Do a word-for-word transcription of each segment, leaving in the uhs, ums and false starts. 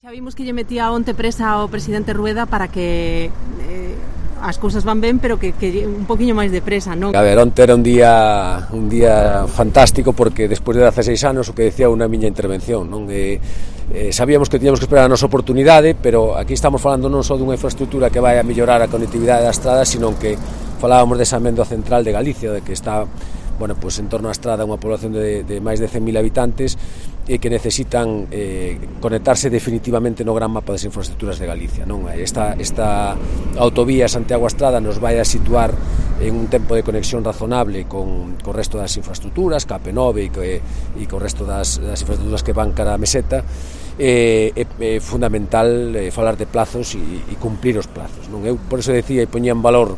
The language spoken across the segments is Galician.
Xa vimos que lle metía onte presa ao presidente Rueda para que eh, as cousas van ben, pero que, que un poquinho máis de presa, non? A ver, onte era un día un día fantástico porque despois de dezaseis anos o que decía unha miña intervención, non? E, eh, sabíamos que tiñamos que esperar a nosa oportunidade, pero aquí estamos falando non só dunha infraestructura que vai a mellorar a conectividade da estrada, sino que falábamos desa amendo central de Galicia, de que está, bueno, pues en torno á estrada unha población de, de máis de cen mil habitantes e que necesitan eh, conectarse definitivamente no gran mapa das infraestructuras de Galicia, non? Esta, esta autovía Santiago-Estrada nos vai a situar en un tempo de conexión razonable con, con o resto das infraestructuras, K P nove e, e con o resto das, das infraestructuras que van cara a Meseta. É, é, é fundamental eh, falar de plazos e, e cumplir os plazos, non? Eu por eso decía e poñía en valor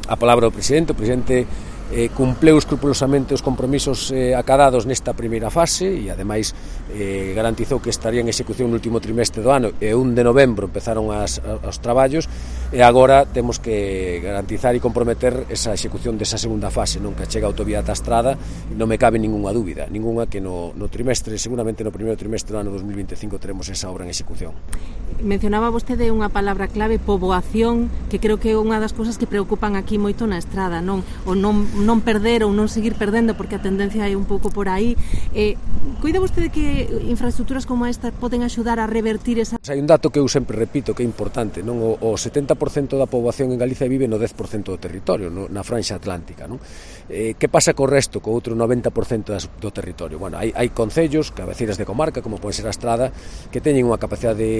a palabra do presidente. O presidente eh, cumpleu escrupulosamente os compromisos eh, acadados nesta primeira fase e ademais eh, garantizou que estaría en execución no último trimestre do ano e un de novembro empezaron as, os traballos e agora temos que garantizar e comprometer esa execución desa segunda fase, non? Que chega a autovía ata Estrada, non me cabe ninguna dúbida, ninguna que no, no trimestre, seguramente no primeiro trimestre do ano dos mil vinte e cinco teremos esa obra en execución. Mencionaba vostede unha palabra clave, poboación, que creo que é unha das cousas que preocupan aquí moito na Estrada, non? O non, non perder ou non seguir perdendo, porque a tendencia é un pouco por aí. Eh, cuida vostede que infraestructuras como esta poden axudar a revertir esa... Hai un dato que eu sempre repito que é importante, non? O, o setenta por cento da poboación en Galicia vive no dez por cento do territorio, no, na franxa atlántica, non? Eh, que pasa co resto, co outro noventa por cento das, do territorio? Bueno, hai, hai concellos, cabeceiras de comarca, como pode ser a Estrada, que teñen unha capacidade de,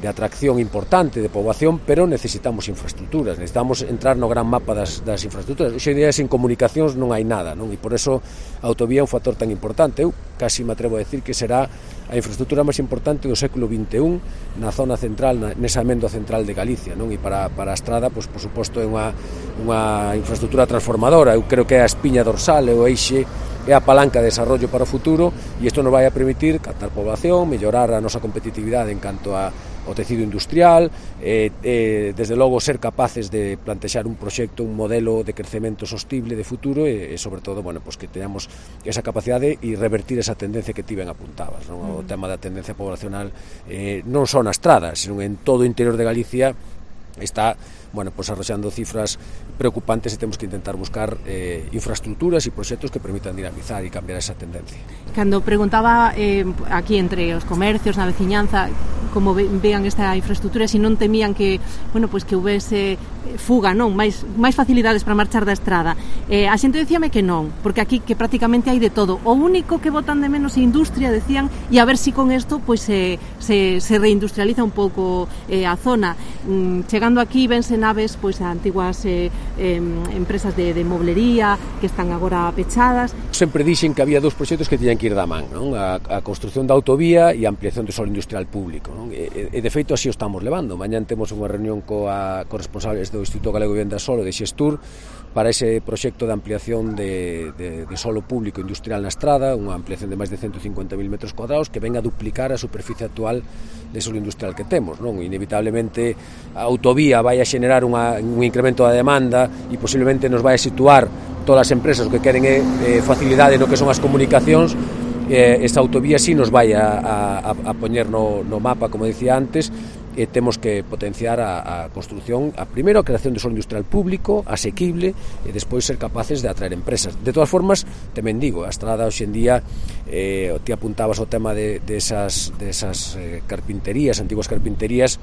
de atracción importante de poboación, pero necesitamos infraestructuras, necesitamos entrar no gran mapa das, das infraestructuras. Hoxe día sin comunicacións non hai nada, non? E por eso a autovía é un factor tan importante. Eu casi me atrevo a decir que será a infraestructura máis importante do século vinte e un na zona central, na, nesa amendo central de Galicia, non? E para, para a Estrada, pois, por suposto, é unha, unha infraestructura transformadora. Eu creo que é a espiña dorsal, é o eixe, é a palanca de desarrollo para o futuro e isto nos vai a permitir captar población, mellorar a nosa competitividade en canto a o tecido industrial, eh, eh, desde logo ser capaces de plantexar un proxecto, un modelo de crecemento sostible de futuro e, e sobre todo, bueno, pues que teñamos esa capacidade e revertir esa tendencia que ti ben apuntabas, non? O tema da tendencia poblacional eh, non só na Estrada, sino en todo o interior de Galicia está, bueno, pues arroxando cifras preocupantes e temos que intentar buscar eh, infraestructuras e proxectos que permitan dinamizar e cambiar esa tendencia. Cando preguntaba eh, aquí entre os comercios, na veciñanza, como ve, vean esta infraestructura, se non temían que, bueno, pues que houvese fuga, non, máis máis facilidades para marchar da Estrada. Eh, a xente decíame que non, porque aquí que prácticamente hai de todo. O único que botan de menos é industria, decían, e a ver si con isto pues se se se reindustrializa un pouco eh, a zona. Mm, chegando aquí vense naves pois a antiguas eh, eh, empresas de, de moblería que están agora pechadas. Sempre dixen que había dous proxectos que tiñan que ir da man, non? A, a construción da autovía e a ampliación do solo industrial público, non? E, e de feito así o estamos levando. Mañán temos unha reunión coa, co responsables do Instituto Galego de Vivenda Solo de Xestur para ese proxecto de ampliación de, de, de solo público industrial na Estrada, unha ampliación de máis de ciento cincuenta mil metros cuadrados que venga a duplicar a superficie actual de solo industrial que temos, non? Inevitablemente a autovía vai a xenerar unha, un incremento da demanda e posiblemente nos vai a situar todas as empresas que queren eh, facilidade no que son as comunicacións. Eh, esta autovía sí nos vai a, a, a poñer no, no mapa, como decía antes, e temos que potenciar a, a construción, a primeiro a creación de solo industrial público, asequible, e despois ser capaces de atraer empresas. De todas formas, tamén digo, a Estrada hoxe en día, eh, ti apuntabas o tema de, de esas, de esas eh, carpinterías, antiguas carpinterías.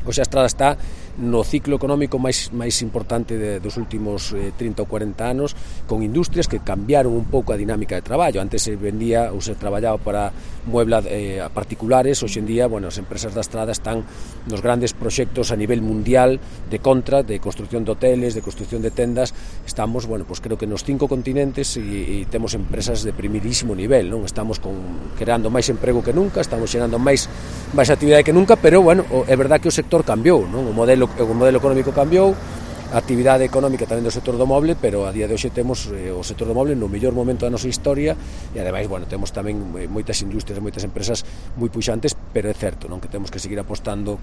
Hoxe a Estrada está no ciclo económico máis máis importante de, dos últimos eh, trinta ou cuarenta anos, con industrias que cambiaron un pouco a dinámica de traballo. Antes se vendía ou se traballaba para muebla eh, a particulares, hoxe en día, bueno, as empresas da Estrada están nos grandes proxectos a nivel mundial de contra, de construcción de hoteles, de construcción de tendas. Estamos, bueno, pues creo que nos cinco continentes e, e temos empresas de primeirísimo nivel, non? Estamos con, creando máis emprego que nunca, estamos xerando máis máis actividade que nunca, pero, bueno, é verdad que o sector cambiou, non? O modelo o modelo económico cambiou, a actividade económica tamén do sector do moble, pero a día de hoxe temos eh, o sector do moble no mellor momento da nosa historia e ademais, bueno, temos tamén moitas industrias, moitas empresas moi puxantes, pero é certo, non, que temos que seguir apostando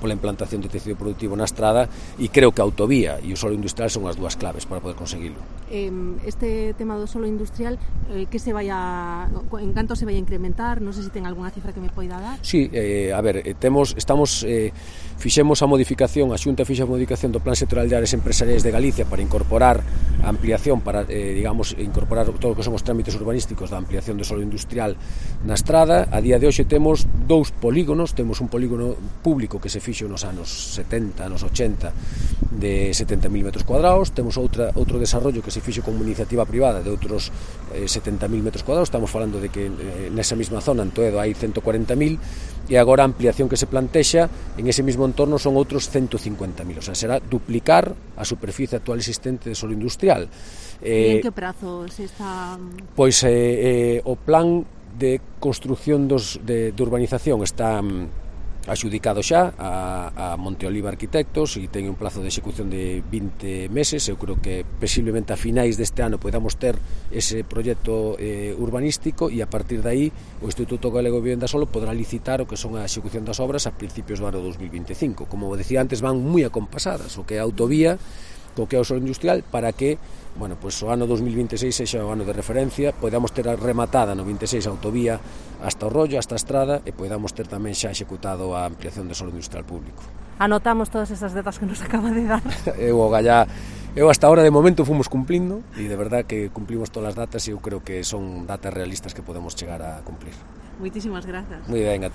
pola implantación de tecido productivo na estrada, e creo que a autovía e o solo industrial son as dúas claves para poder conseguilo. Eh, este tema do solo industrial, eh, que se vai a, en canto se vai a incrementar? Non sei se ten algunha cifra que me poida dar. Sí, eh, a ver, eh, temos, estamos, eh, fixemos a modificación, a Xunta fixa a modificación do Plan Sectorial de Áreas Empresariais de Galicia para incorporar a ampliación, para, eh, digamos, incorporar todo o que son os trámites urbanísticos da ampliación do solo industrial na estrada. A día de hoxe temos dous polígonos, temos un polígono público que se fixo nos anos setenta, anos ochenta, de setenta mil metros cuadrados, temos outra, outro desarrollo que se fixo como iniciativa privada de outros eh, setenta mil metros cuadrados, estamos falando de que eh, nesa mesma zona, en Toedo, hai ciento cuarenta mil, e agora a ampliación que se plantexa en ese mesmo entorno son outros ciento cincuenta mil, o sea, será duplicar a superficie actual existente de solo industrial. Eh, e en que prazo se está? Pois eh, eh, o plan de construción dos, de, de urbanización está um, axudicado xa a, a Monteoliva Arquitectos e ten un plazo de execución de vinte meses. Eu creo que posiblemente a finais deste ano podamos ter ese proxecto eh, urbanístico, e a partir de aí o Instituto Galego de Vivenda Solo podrá licitar o que son a execución das obras a principios do ano dos mil vinte e cinco. Como decía antes, van moi acompasadas o que é a autovía co que é o solo industrial, para que, bueno, pues o ano dos mil vinte e seis sexa o ano de referencia, podamos ter rematada no vinte e seis a autovía hasta o rollo, hasta a estrada, e podamos ter tamén xa executado a ampliación do solo industrial público. Anotamos todas esas datas que nos acaba de dar. Eu, gallá, eu hasta ahora de momento fomos cumplindo, e de verdad que cumplimos todas as datas, e eu creo que son datas realistas que podemos chegar a cumplir. Moitísimas grazas. Moi ben, a ti.